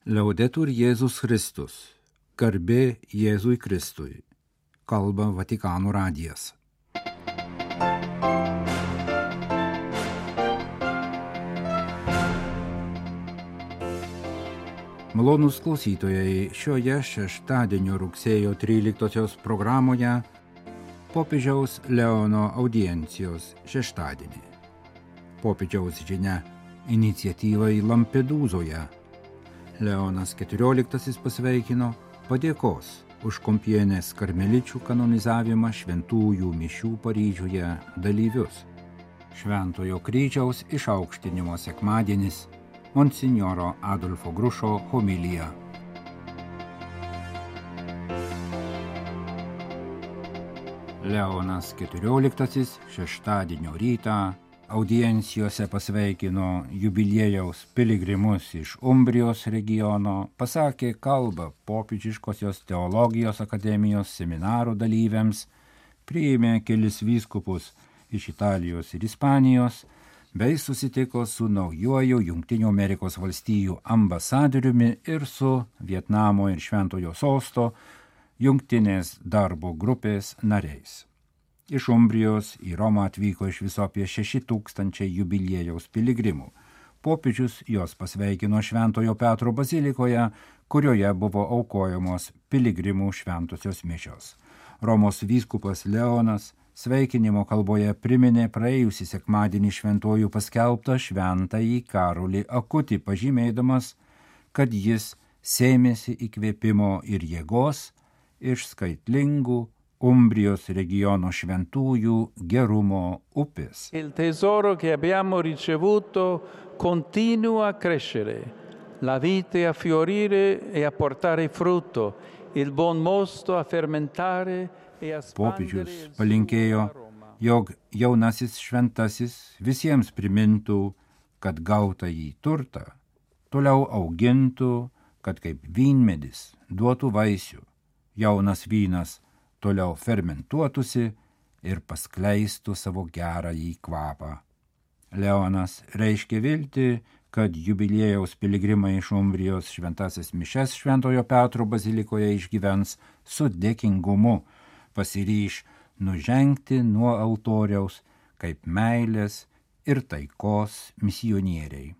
Laudetur Jėzus Kristus. Garbė Jėzui Kristui. Kalba Vatikano radijas. Malonūs klausytojai, šioje šeštadienio rugsėjo 13 programoje popiežiaus Leono audiencijos šeštadienį. Popiežiaus žinia iniciatyvai Lampedūzoje. Leonas XIV pasveikino padėkos už Kompienės karmeličių kanonizavimą šventųjų mišių Paryžiuje dalyvius. Šventojo kryžiaus išaukštinimo sekmadienis, Monsinjoro Adolfo Grušo homilija. Leonas XIV šeštadienio rytą audiencijose pasveikino jubiliejaus piligrimus iš Umbrijos regiono, pasakė kalbą popiežiškosios teologijos akademijos seminaro dalyviams, priėmė kelis vyskupus iš Italijos ir Ispanijos, bei susitiko su naujuoju Jungtinių Amerikos valstijų ambasadoriumi ir su Vietnamo ir Šventojo sosto jungtinės darbo grupės nariais. Iš Umbrijos į Romą atvyko iš viso apie 6,000 jubiliejaus piligrimų. Popiežius jos pasveikino Šventojo Petro bazilikoje, kurioje buvo aukojamos piligrimų šventosios mišios. Romos vyskupas Leonas sveikinimo kalboje priminė praėjusį sekmadienį šventojų paskelbtą šventąjį Karolį Akutį, pažymėdamas, kad jis sėmėsi įkvėpimo ir jėgos iš skaitlingų Umbrijos regiono šventųjų gerumo upės. Il tesoro che abbiamo ricevuto continua a crescere, la vite a fiorire e a portare frutto, il buon mosto a fermentare e a spandere. Popiežius palinkėjo, jog jaunasis šventasis visiems primintų, kad gautąjį turtą toliau augintų, kad kaip vynmedis duotų vaisių, jaunas vynas toliau fermentuotųsi ir paskleistų savo gerąjį kvapą. Leonas reiškė viltį, kad jubiliejaus piligrimai iš Umbrijos šventasis mišias Šventojo Petro bazilikoje išgyvens su dėkingumu, pasiryš nužengti nuo altoriaus kaip meilės ir taikos misionieriai.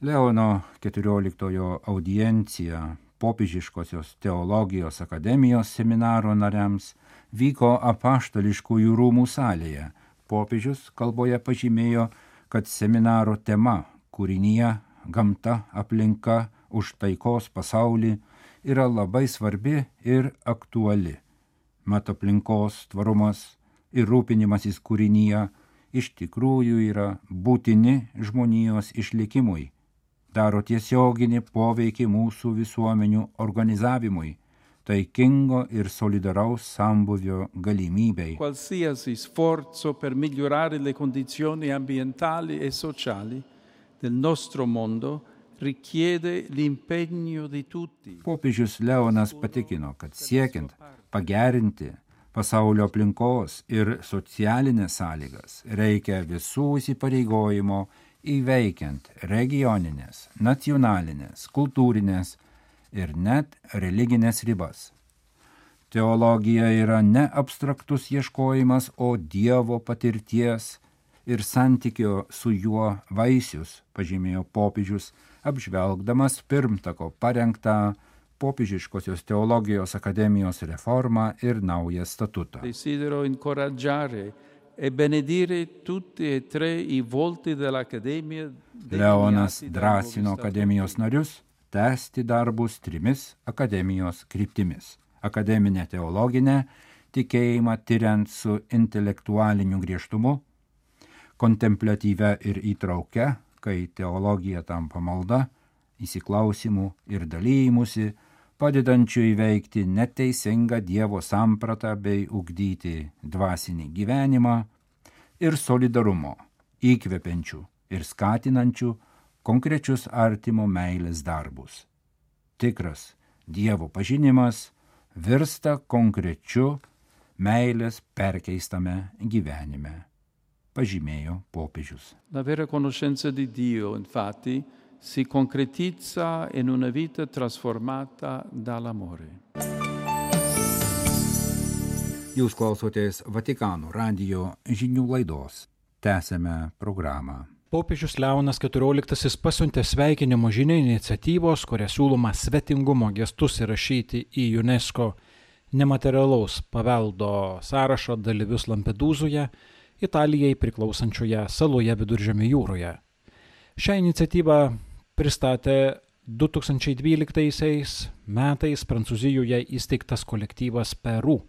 Leono XIV audiencija popiežiškosios teologijos akademijos seminaro nariams vyko apaštališkųjų rūmų salėje. Popiežius kalboje pažymėjo, kad seminaro tema kūrinija, gamta, aplinka už taikos pasaulį yra labai svarbi ir aktuali. Mat aplinkos tvarumas ir rūpinimasis kūrinija iš tikrųjų yra būtini žmonijos išlikimui, daro tiesioginį poveikį mūsų visuomenių organizavimui, taikingo ir solidaraus sambūvio galimybei. Qualsiasi sforzo per migliorare le condizioni ambientali e sociali del nostro mondo richiede l'impegno di tutti. Popiežius Leonas patikino, kad siekiant pagerinti pasaulio aplinkos ir socialinės sąlygas reikia visų įsipareigojimo įveikiant regioninės, nacionalinės, kultūrinės ir net religinės ribas. Teologija yra ne abstraktus ieškojimas, o Dievo patirties ir santykio su juo vaisius, pažymėjo popiežius, apžvelgdamas pirmtako parengtą popiežiškosios teologijos akademijos reformą ir naują statutą. Desidero incoraggiare e benedire tutti e tre i volti dell'Accademia. Leonas drąsino akademijos narius tęsti darbus 3 akademijos kryptimis. Akademinę teologinę, tikėjimą tiriant su intelektualiniu griežtumu, kontempliatyvia ir įtraukia, kai teologija tampa malda, įsiklausimų ir dalymusi, padedančių įveikti neteisingą Dievo sampratą bei ugdyti dvasinį gyvenimą, ir solidarumo, įkvepiančių ir skatinančių konkrečius artimo meilės darbus. Tikras Dievo pažinimas virsta konkrečiu meilės perkeistame gyvenime, pažymėjo popiežius. La vera conoscenza di Dio, infatti, si concretizza in una vita trasformata dall'amore. Jūs klausotės Vatikano radijo žinių laidos. Tęsėme programą. Popiežius Leonas XIV pasiuntė sveikinimo žinia iniciatyvos, kuria siūloma svetingumo gestus įrašyti į UNESCO nematerialaus paveldo sąrašo dalyvius Lampedūzoje, Italijai priklausančioje saloje Viduržemio jūroje. Šią iniciatyvą pristatė 2012 metais Prancūzijoje įsteigtas kolektyvas Peru.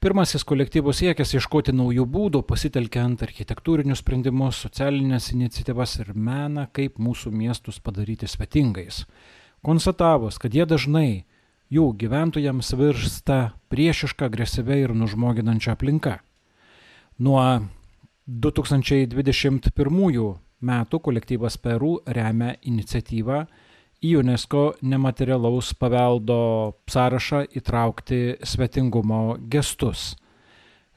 Pirmasis kolektyvų siekis ieškoti naujų būdų, pasitelkiant architektūrinius sprendimus, socialinės iniciatyvas ir meną, kaip mūsų miestus padaryti svetingais. Konstatavus, kad jie dažnai jų gyventojams virsta priešiška, agresyvia ir nužmoginančia aplinka. Nuo 2021 metų kolektyvas Peru remia iniciatyvą į UNESCO nematerialaus paveldo sąrašą įtraukti svetingumo gestus.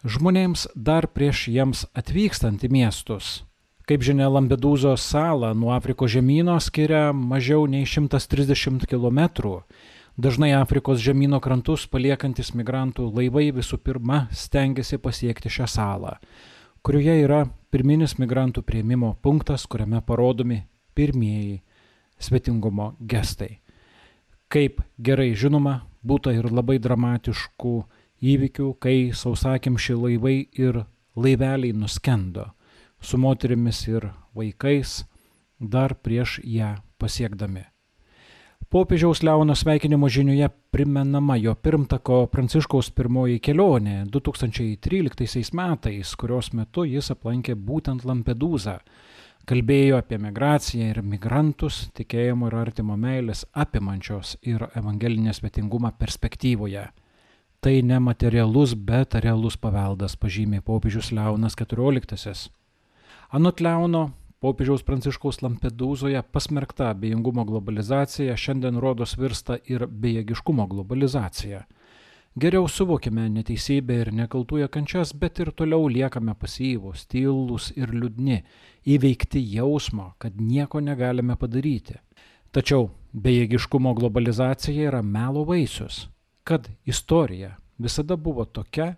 Žmonėms dar prieš jiems atvykstant į miestus. Kaip žinia, Lampedūzos salą nuo Afrikos žemyno skiria mažiau nei 130 km. Dažnai Afrikos žemyno krantus paliekantis migrantų laivai visų pirma stengiasi pasiekti šią salą, kurioje yra pirminis migrantų priėmimo punktas, kuriame parodomi pirmieji svetingumo gestai. Kaip gerai žinoma, būta ir labai dramatiškų įvykių, kai sausakimši laivai ir laiveliai nuskendo su moterimis ir vaikais dar prieš ją pasiekdami. Popiežiaus Leono sveikinimo žinioje primenama jo pirmtako Pranciškaus pirmoji kelionė 2013 metais, kurios metu jis aplankė būtent Lampedūzą. Kalbėjo apie migraciją ir migrantus, tikėjimo ir artimo meilės apimančios ir evangelinės svetingumą perspektyvoje. Tai ne materialus, bet realus paveldas, pažymė popiežius Leonas XIV. Anot Leono, popiežiaus Pranciškaus Lampedūzoje pasmerkta abejingumo globalizacija šiandien rodos virsta ir bejėgiškumo globalizacija. Geriau suvokime neteisybę ir nekaltųjų kančias, bet ir toliau liekame pasyvūs, tylūs ir liūdni, įveikti jausmo, kad nieko negalime padaryti. Tačiau bejėgiškumo globalizacija yra melo vaisius, kad istorija visada buvo tokia,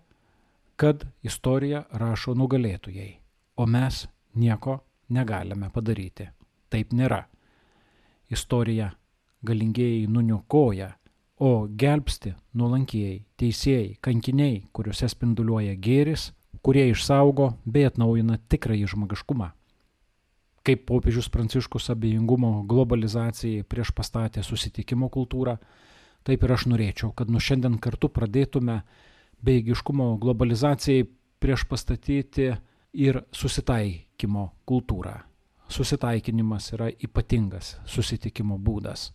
kad istoriją rašo nugalėtojai, o mes nieko negalime padaryti. Taip nėra. Istorija galingieji nuniokoja, o gelbsti nuolankieji, teisėjai, kankiniai, kuriuose spinduliuoja gėris, kurie išsaugo bei atnaujina tikrąjį žmogiškumą. Kaip popiežius Pranciškus abejingumo globalizacijai prieš pastatė susitikimo kultūrą, taip ir aš norėčiau, kad nuo šiandien kartu pradėtume bejėgiškumo globalizacijai prieš pastatyti ir susitaikymo kultūrą. Susitaikinimas yra ypatingas susitikimo būdas.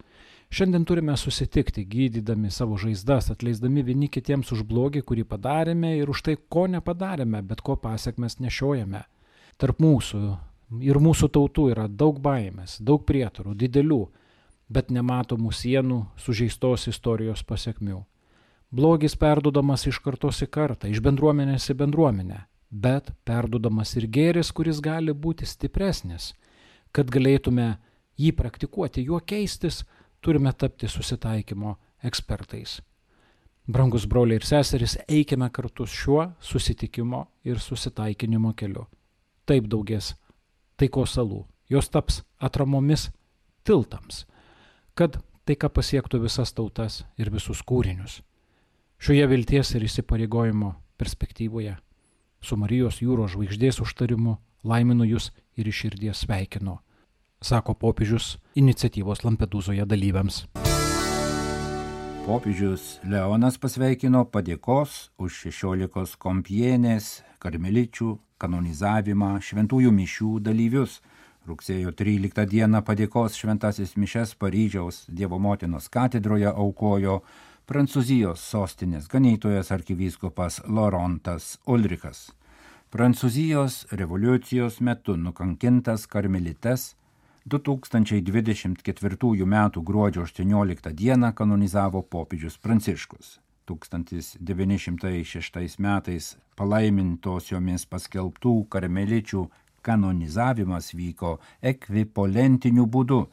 Šiandien turime susitikti, gydydami savo žaizdas, atleisdami vieni kitiems už blogį, kurį padarėme ir už tai, ko nepadarėme, bet ko pasekmes nešiojame. Tarp mūsų ir mūsų tautų yra daug baimės, daug prietarų, didelių, bet nematomų sienų sužeistos istorijos pasekmių. Blogis perduodamas iš kartos į kartą, iš bendruomenės į bendruomenę, bet perduodamas ir gėris, kuris gali būti stipresnis. Kad galėtume jį praktikuoti, juo keistis, turime tapti susitaikymo ekspertais. Brangus broliai ir seserys, eikime kartu šiuo susitikimo ir susitaikinimo keliu. Taip daugės taikos salų. Jos taps atramomis tiltams, kad taika pasiektų visas tautas ir visus kūrinius. Šioje vilties ir įsipareigojimo perspektyvoje su Marijos jūros žvaigždės užtarimu laiminu jūs ir iš širdies sveikinu, sako popiežius iniciatyvos Lampedūzoje dalyviams. Popiežius Leonas pasveikino padėkos už 16 Kompienės karmeličių kanonizavimą šventųjų mišių dalyvius. Rugsėjo 13 dieną padėkos šventasis mišias Paryžiaus Dievo motinos katedroje aukojo Prancūzijos sostinės ganytojas arkivyskupas Laurentas Ulrichas. Prancūzijos revoliucijos metu nukankintas karmelites 2024 m. gruodžio 18 dieną kanonizavo popiežius Pranciškus. 1906 metais palaimintosiomis paskelbtų karmeličių kanonizavimas vyko ekvipolentiniu būdu,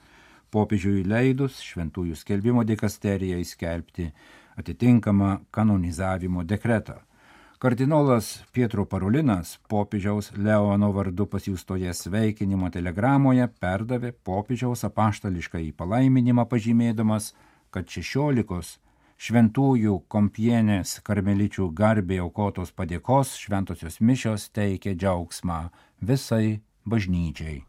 popiežiui leidus šventųjų skelbimo dikasterijai skelbti atitinkamą kanonizavimo dekretą. Kardinolas Pietro Parolinas popiežiaus Leono vardu pasiųstoje sveikinimo telegramoje perdavė popiežiaus apaštališkąjį palaiminimą, pažymėdamas, kad 16 šventųjų Kompienės karmeličių garbei aukotos padėkos šventosios mišios teikia džiaugsmą visai bažnyčiai.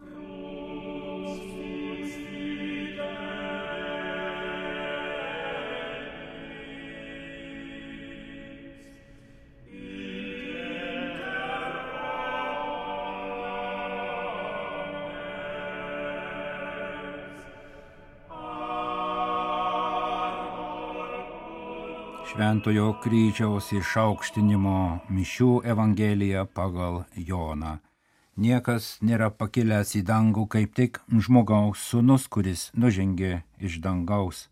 Šventojo kryžiaus išaukštinimo mišių evangelija pagal Joną. Niekas nėra pakilęs į dangų, kaip tik žmogaus sūnus, kuris nužengė iš dangaus.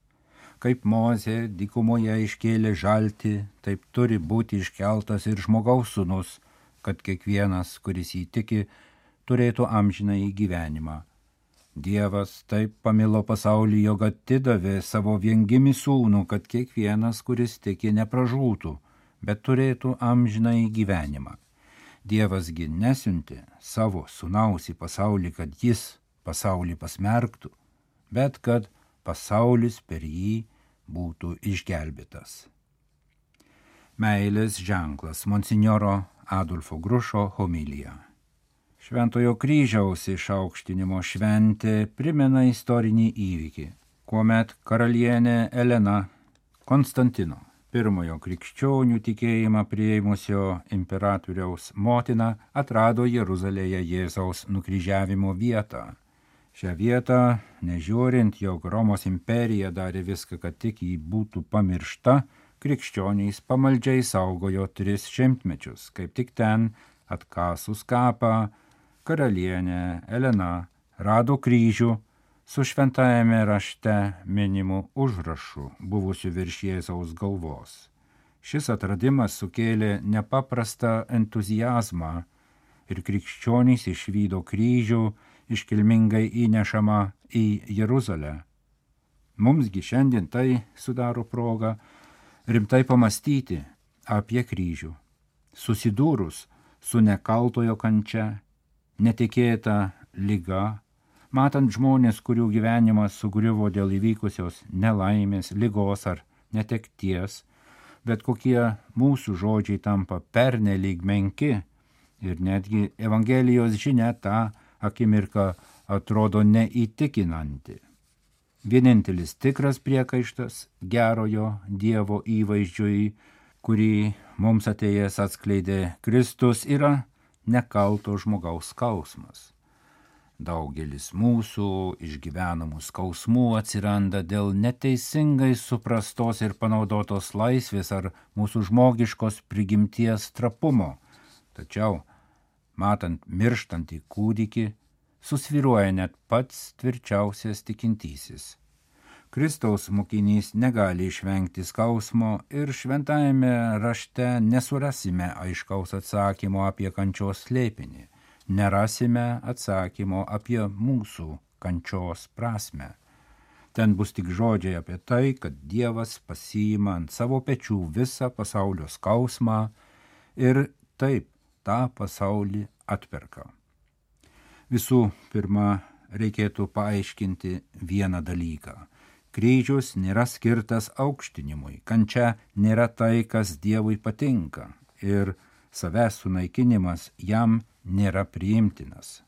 Kaip Mozė dykumoje iškėlė žaltį, taip turi būti iškeltas ir žmogaus sūnus, kad kiekvienas, kuris jį tiki, turėtų amžinąjį gyvenimą. Dievas taip pamilo pasaulį, jog atidavė savo viengimį sūnų, kad kiekvienas, kuris tiki, nepražūtų, bet turėtų amžinąjį gyvenimą. Dievasgi nesiuntė savo sūnaus į pasaulį, kad jis pasaulį pasmerktų, bet kad pasaulis per jį būtų išgelbėtas. Meilės ženklas. Monsinjoro Adolfo Grušo homilija. Šventojo kryžiaus išaukštinimo šventė primena istorinį įvykį, kuomet karalienė Elena Konstantino, pirmojo krikščionių tikėjimą priėmusio imperatoriaus motina, atrado Jeruzalėje Jėzaus nukryžiavimo vietą. Šią vietą, nežiūrint, jog Romos imperija darė viską, kad tik jį būtų pamiršta, krikščionys pamaldžiai saugojo 3 šimtmečius. Kaip tik ten, atkasus kapą, karalienė Elena rado kryžių su šventajame rašte minimu užrašu buvusiu virš Jėzaus galvos. Šis atradimas sukėlė nepaprastą entuziazmą ir krikščionys išvydo kryžių iškilmingai įnešamą į Jeruzalę. Mumsgi šiandien tai sudaro progą rimtai pamastyti apie kryžių, susidūrus su nekaltojo kančia, netikėta liga, matant žmonės, kurių gyvenimas sugriuvo dėl įvykusios nelaimės, ligos ar netekties, bet kokie mūsų žodžiai tampa pernelyg menki ir netgi Evangelijos žinia tą akimirką atrodo neįtikinanti. Vienintelis tikras priekaištas gerojo Dievo įvaizdžiui, kurį mums atėjęs atskleidė Kristus, yra nekalto žmogaus skausmas. Daugelis mūsų išgyvenamų skausmų atsiranda dėl neteisingai suprastos ir panaudotos laisvės ar mūsų žmogiškos prigimties trapumo. Tačiau, matant mirštantį kūdikį, susvyruoja net pats tvirčiausias tikintysis. Kristaus mokinys negali išvengti skausmo ir šventajame rašte nesurasime aiškaus atsakymo apie kančios slėpinį, nerasime atsakymo apie mūsų kančios prasmę. Ten bus tik žodžiai apie tai, kad Dievas pasiima ant savo pečių visą pasaulio skausmą ir taip tą pasaulį atperka. Visų pirma, reikėtų paaiškinti vieną dalyką. Kryžius nėra skirtas aukštinimui, kančia nėra tai, kas Dievui patinka ir savęs sunaikinimas jam nėra priimtinas.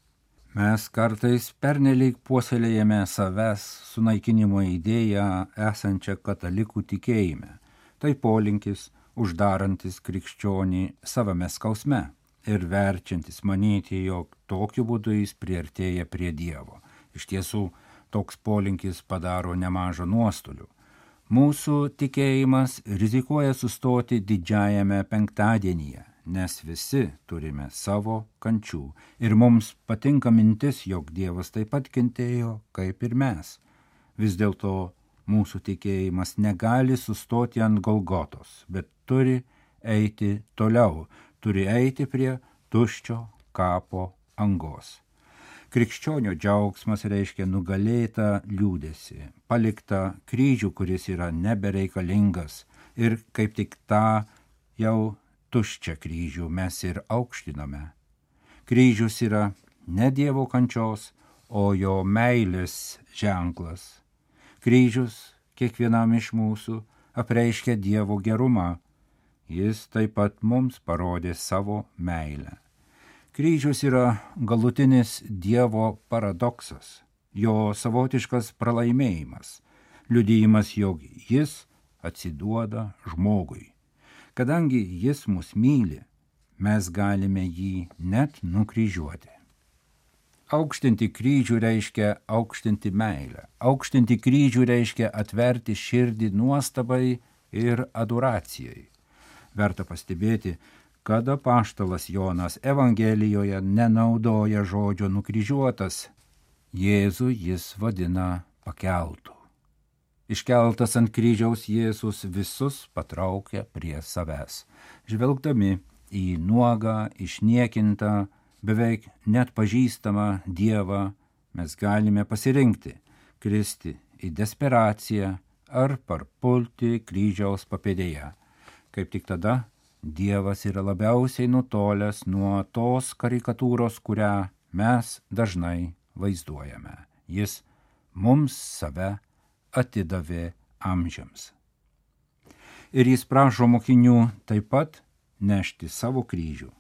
Mes kartais pernelyg puoselėjame savęs sunaikinimo idėją esančią katalikų tikėjime. Tai polinkis uždarantis krikščionį savame skausme ir verčiantis manyti, jog tokiu būdu jis priartėja prie Dievo. Iš tiesų, toks polinkis padaro nemažą nuostolių. Mūsų tikėjimas rizikuoja sustoti didžiajame penktadienyje, nes visi turime savo kančių ir mums patinka mintis, jog Dievas taip pat kentėjo kaip ir mes. Vis dėlto mūsų tikėjimas negali sustoti ant Golgotos, bet turi eiti toliau, turi eiti prie tuščio kapo angos. Krikščionio džiaugsmas reiškia nugalėtą liūdesį, paliktą kryžių, kuris yra nebereikalingas, ir kaip tik tą jau tuščią kryžių mes ir aukštiname. Kryžius yra ne Dievo kančios, o jo meilės ženklas. Kryžius kiekvienam iš mūsų apreiškia Dievo gerumą. Jis taip pat mums parodė savo meilę. Kryžius yra galutinis Dievo paradoksas, jo savotiškas pralaimėjimas, liudijimas, jog jis atsiduoda žmogui. Kadangi jis mus myli, mes galime jį net nukryžiuoti. Aukštinti kryžių reiškia aukštinti meilę. Aukštinti kryžių reiškia atverti širdį nuostabai ir adoracijai. Verta pastebėti, kad apaštalas Jonas Evangelijoje nenaudoja žodžio nukryžiuotas. Jėzų jis vadina pakeltu. Iškeltas ant kryžiaus Jėzus visus patraukia prie savęs. Žvelgdami į nuogą, išniekintą, beveik net pažįstamą Dievą, mes galime pasirinkti kristi į desperaciją ar parpulti kryžiaus papėdėje. Kaip tik tada Dievas yra labiausiai nutolęs nuo tos karikatūros, kurią mes dažnai vaizduojame. Jis mums save atidavė amžiams. Ir jis prašo mokinių taip pat nešti savo kryžių.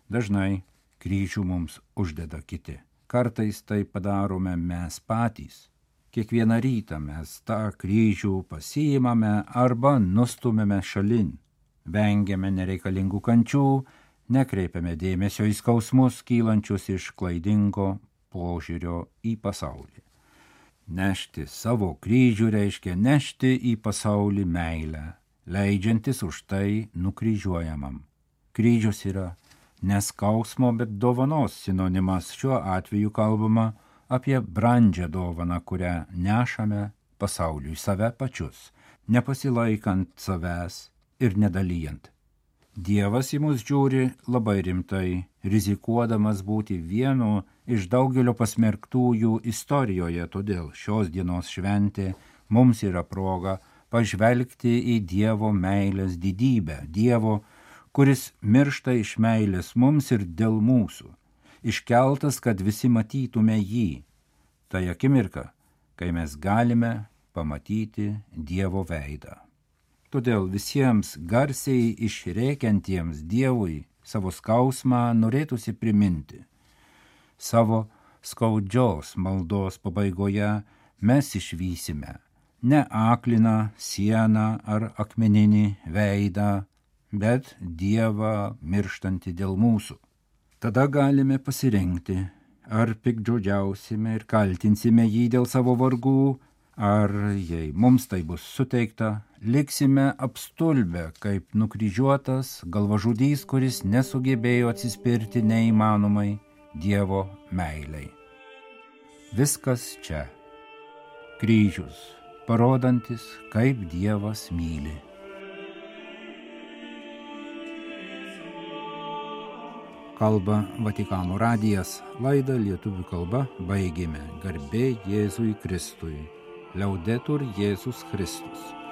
Dažnai kryžių mums uždeda kiti. Kartais tai padarome mes patys. Kiekvieną rytą mes tą kryžių pasiimame arba nustumėme šalin. Vengiame nereikalingų kančių, nekreipiame dėmesio į skausmus kylančius iš klaidingo požiūrio į pasaulį. Nešti savo kryžių reiškia nešti į pasaulį meilę, leidžiantis už tai nukryžiuojamam. Kryžius yra ne skausmo, bet dovanos sinonimas. Šiuo atveju kalbama apie brandžią dovaną, kurią nešame pasauliui save pačius, nepasilaikant savęs ir nedalyjant. Dievas į mus žiūri labai rimtai, rizikuodamas būti vienu iš daugelio pasmerktųjų istorijoje, todėl šios dienos šventė mums yra proga pažvelgti į Dievo meilės didybę, Dievo, kuris miršta iš meilės mums ir dėl mūsų, iškeltas, kad visi matytume jį. Tai akimirka, kai mes galime pamatyti Dievo veidą. Todėl visiems garsiai išrėkiantiems Dievui savo skausmą norėtųsi priminti. Savo skaudžios maldos pabaigoje mes išvysime ne akliną sieną ar akmeninį veidą, bet Dievą mirštantį dėl mūsų. Tada galime pasirinkti, ar piktžodžiausime ir kaltinsime jį dėl savo vargų, ar, jei mums tai bus suteikta, liksime apstulbę kaip nukryžiuotas galvažudys, kuris nesugebėjo atsispirti neįmanomai Dievo meilei. Viskas čia. Kryžius, parodantis, kaip Dievas myli. Kalba Vatikano radijas, laidą lietuvių kalba baigėme. Garbė Jėzui Kristui. Liaudetur Jėzus Kristus.